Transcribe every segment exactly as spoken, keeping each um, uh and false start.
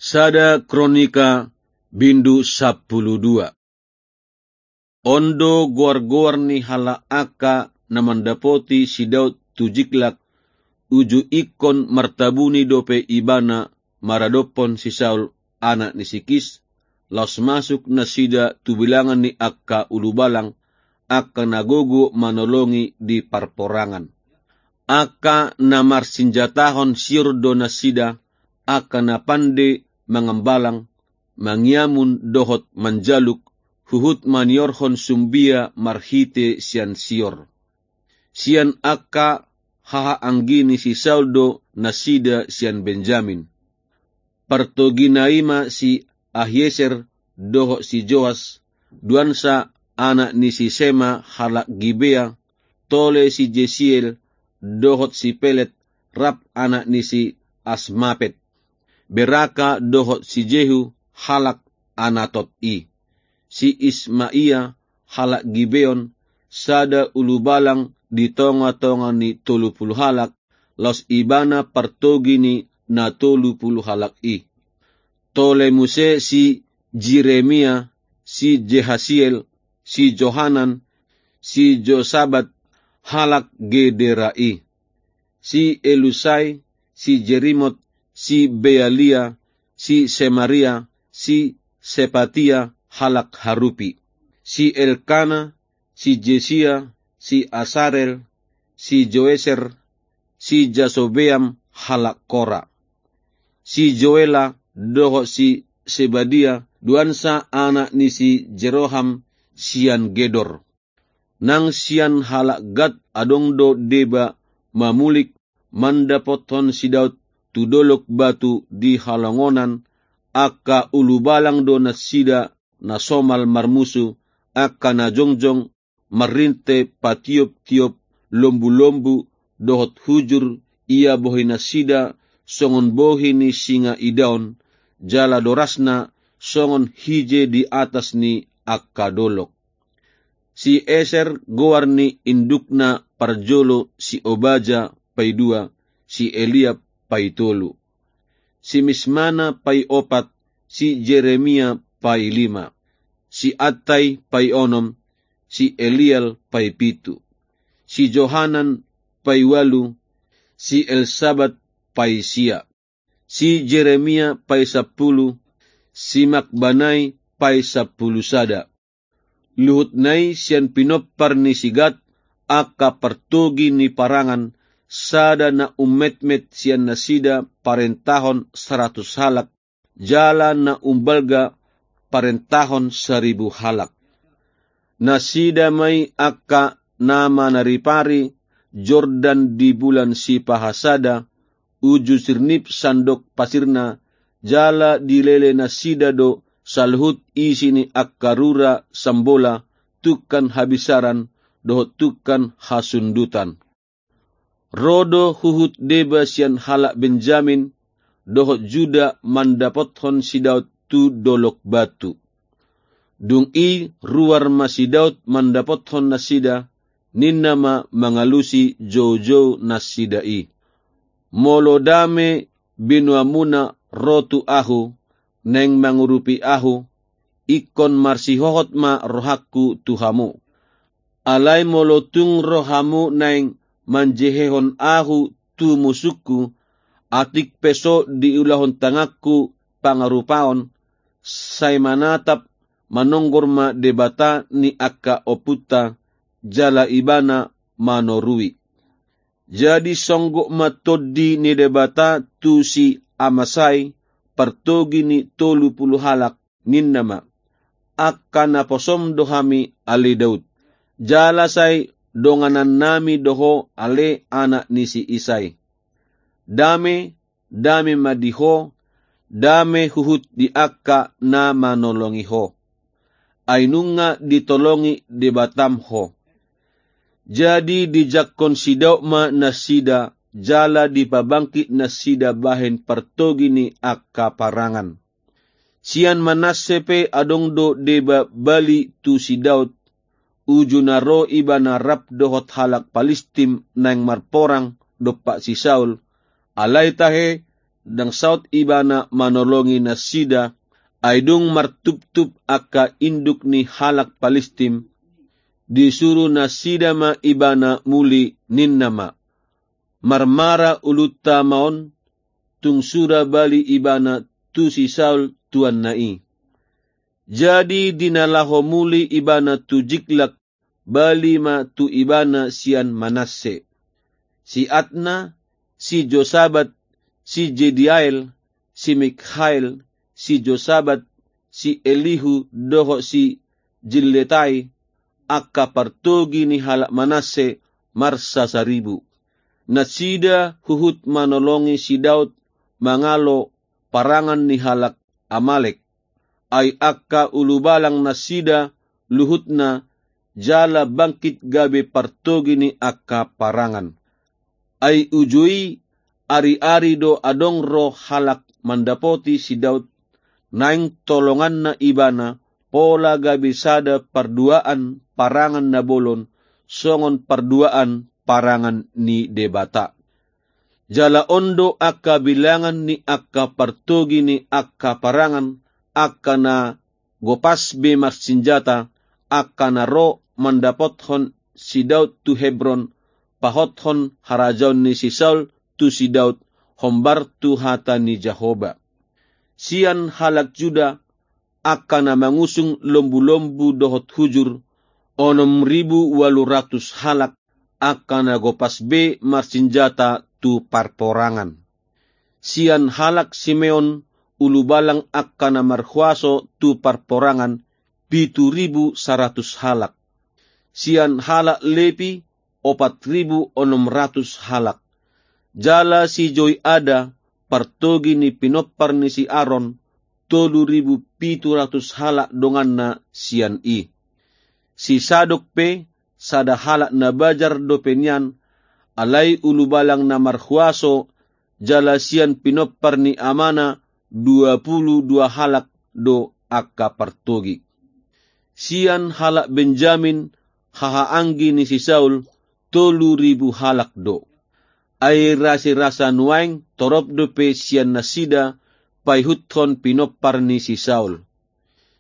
Sada Kronika bindu sampulu dua. On do goar-goar ni halak angka na mandapoti si Daud tu Jiklak, uju ingkon martabuni dope ibana maradophon si Saul, anak ni si Kis, laos masuk nasida tu bilangan ni angka ulubalang, angka na gogo manolongi di parporangan. Angka na marsinjatahon sior do nasida, angka na pande mangambalang, mangiamun dohot manjaluk, huhut maniorhon sumbia marhite sian sior. Sian angka hahaanggi ni si Saul do nasida sian Benjamin. Partogina i ma si Ahieser dohot si Joas, duansa anak ni si Sema halak Gibea, tole si Jesiel dohot si Pelet, rap anak ni si Asmapet, Beraka dohot si Jehu halak Anatot i. Si Ismaia halak Gibeon, sada ulubalang di tonga-tonga ni tolu pulu halak, laos ibana partogi ni na tolu pulu halak i. Tole muse si Jeremia, si Jehasiel, si Johanan, si Josabat halak Gedera i, si Elusai, si Jerimot, si Bealia, si Semaria, si Sepatia halak Harupi, si Elkana, si Jesia, si Asarel, si Joeser, si Jasobeam halak Kora, si Joela dohot si Sebadia, duansa anak ni si Jeroham sian Gedor. Nang sian halak Gad adong do deba mamulik mandapothon si Daud tu dolok batu di halongonan, angka ulubalang do nasida na somal marmusu, angka na jongjong marrinte patiop-tiop lombu-lombu dohot hujur, ia bohi nasida songon bohi ni singa idaon, jala dorasna songon hije di atas ni angka dolok. Si Eser goar ni indukna parjolo, si Obaja paidua, si Eliab paitolu, si Mismana paiopat, si Jeremia pailima, si Attai paionom, si Eliel paipitu, si Johanan paiualu, si Elsabat paisia, si Jeremia paisampulu, si Makbanai paisampulu sada. Luhutna i sian pinompar ni si Gad, angka partogi ni parangan, sada na ummetmet sian nasida parentahon saratus halak, jala na umbalga parentahon saribu halak. Nasida ma i angka na manaripari Jordan di bulan sipahasada, uju sirnip sandok pasirna, jala dilele nasida do saluhut isi ni angka rura sambola, tungkan habisaran dohot tungkan hasundutan. Ro do huhut deba sian halak Benjamin dohot Juda mandapothon si Daud tu dolok batu. Dung i ruar ma si Daud mandapothon nasida, ninna ma mangalusi joujou nasida i: Molo dame binoanmuna ro tu ahu, naeng mangurupi ahu, ingkon marsihohot ma rohangku tu hamu. Alai molo tung ro hamu naeng manjehehon ahu tu musungku, atik pe so diulahon tanganku pangarupaon, sai manatap manonggor ma Debata ni angka ompunta, jala Ibana manorui. Jadi songgop ma Tondi ni Debata tu si Amasai, partogi ni tolu pulu halak, ninna ma: Angka naposom do hami, ale Daud, jala sai donganannami do ho, ale anak ni si Isai. Dame, dame ma di ho, dame huhut di angka na manolongi ho. Ai nunga ditolongi Debatam ho. Jadi dijangkon si Daud ma nasida, jala dipabangkit nasida bahen partogi ni angka parangan. Sian Manasse pe adong do deba bali tu si Daud, uju na ro ibana rap dohot halak Palistim naeng marporang dompak si Saul, alai tahe ndang saut ibana manolongi nasida, ai dung martuptup angka induk ni halak Palistim, disuru nasida ma ibana muli, ninna ma: Marmara ulunta ma on, tung sura bali ibana tu si Saul tuanna i. Jadi di na laho muli ibana tu Jiklak, bali ma tu ibana sian Manasse. Si Adna, si Josabat, si Jediael, si Mikhael, si Josabat, si Elihu dohot si Jilletai, angka partogi ni halak Manasse, marsasaribu. Nasida huhut manolongi si Daud mangalo parangan ni halak Amalek. Ai angka ulubalang nasida luhutna, jala bangkit gabe partogi ni angka parangan. Ai uju i, ari-ari do adong ro halak mandapoti si Daud, naeng tolonganna ibana, pola gabe sada parduaan parangan na bolon, songon parduaan parangan ni Debata. Jala on do angka bilangan ni angka partogi ni angka parangan, angka na gopas be marsinjata, angka na ro mandapothon si Daud tu Hebron, pahothon harajaon ni si Saul tu si Daud, hombar tu hata ni Jahowa. Sian halak Juda, angka na mangusung lombu-lombu dohot hujur, onom ribu ualu ratus halak, angka na gopas be marsinjata tu parporangan. Sian halak Simeon, ulubalang angka na marhuaso tu parporangan, pitu ribu saratus halak. Sian halak Lepi, opat ribu onom ratus halak. Jala si Joiada, partogi ni pinompar ni si Aron, tolu ribu pitu ratus halak donganna sian i. Si Sadok pe, sada halak na bajar dope nian, alai ulubalang na marhuaso, jala sian pinompar ni amana dua pulu dua halak do angka partogi. Sian halak Benjamin, hahaanggi ni si Saul, tolu ribu halak do. Ai rasirasa nuaeng torop dope sian nasida paihuthon pinompar ni si Saul.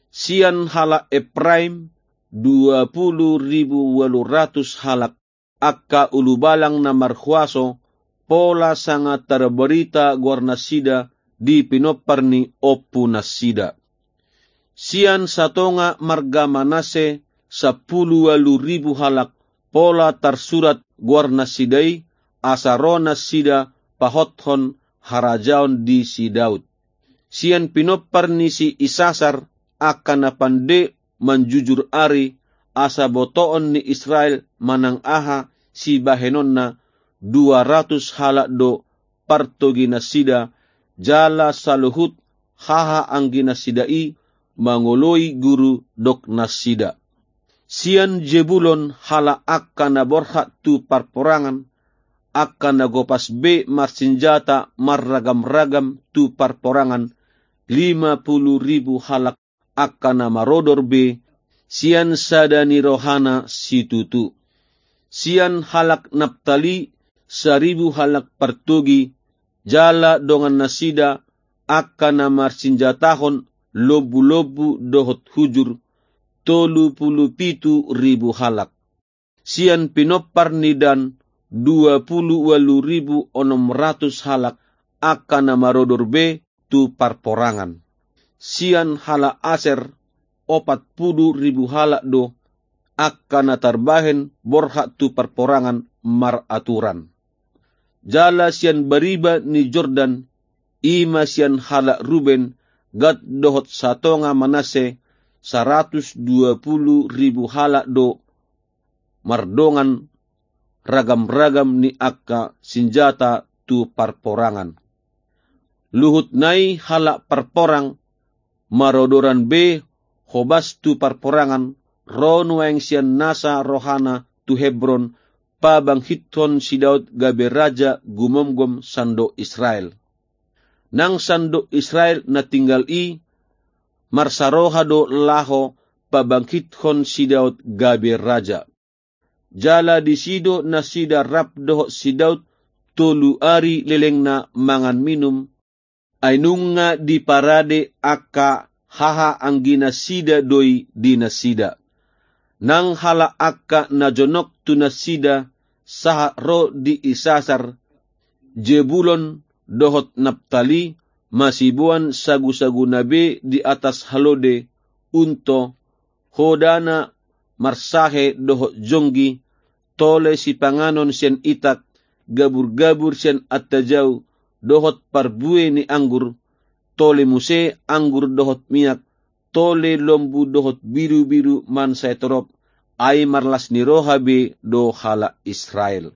Sian halak Epraim, dua pulu ribu ualu ratus halak, angka ulubalang na marhuaso, pola sanga tarbarita goarnasida di pinompar ni ompunasida. Sian satonga marga Manasse, sampulu ualu ribu halak, pola tarsurat goarnasida i, asa ro nasida pahothon harajaon di si Daud. Sian pinompar ni si Isasar, angka na pande manjujur ari, asa botoon ni Israel manang aha sibahenonna, dua ratus halak do partoginasida, jala saluhut hahaangginasida i mangoloi guru doknasida. Sian Jebulon, halak angka na borhat tu parporangan, angka na gopas be marsinjata marragam-ragam tu parporangan, lima pulu ribu halak angka na marodor be, sian sada ni rohana situtu. Sian halak Naptali, saribu halak partogi, jala dongannasida angka na marsinjatahon lombu-lombu dohot hujur, tolu pulu pitu ribu halak. Sian pinompar ni Dan, dua pulu ualu ribu onom ratus halak angka na marodor be tu parporangan. Sian halak Aser, opat pulu ribu halak do angka na tarbahen borhat tu parporangan maraturan. Jala sian bariba ni Jordan, i ma sian halak Ruben, Gad dohot satonga Manasse, saratus dua pulu ribu halak do mardongan ragam-ragam ni angka sinjata tu parporangan. Luhut nai halak parporang marodoran be hobas tu parporangan, ro nuaeng sian nasa rohana tu Hebron, pabangkithon si Daud gabe raja gumomgom sandok Israel. Nang sandok Israel na tinggal i marsaroha do laho pabangkithon si Daud gabe raja. Jala disi do nasida rap dohot si Daud tolu ari lelengna mangan minum, Ai nunga diparade angka hahaangginasida do i di nasida. Nang halak angka na jonok tu nasida sahat ro di Isasar, Jebulon dohot Naptali, masiboan sagusaguna be di atas halode, unto, hodana marsahe dohot jonggi, tole sipanganon sian itak, gabur-gabur sian antajau, dohot parbue ni anggur, tole muse anggur dohot miak, tole lombu dohot birubiru mansai torop, ai marlas ni roha be do halak Israel.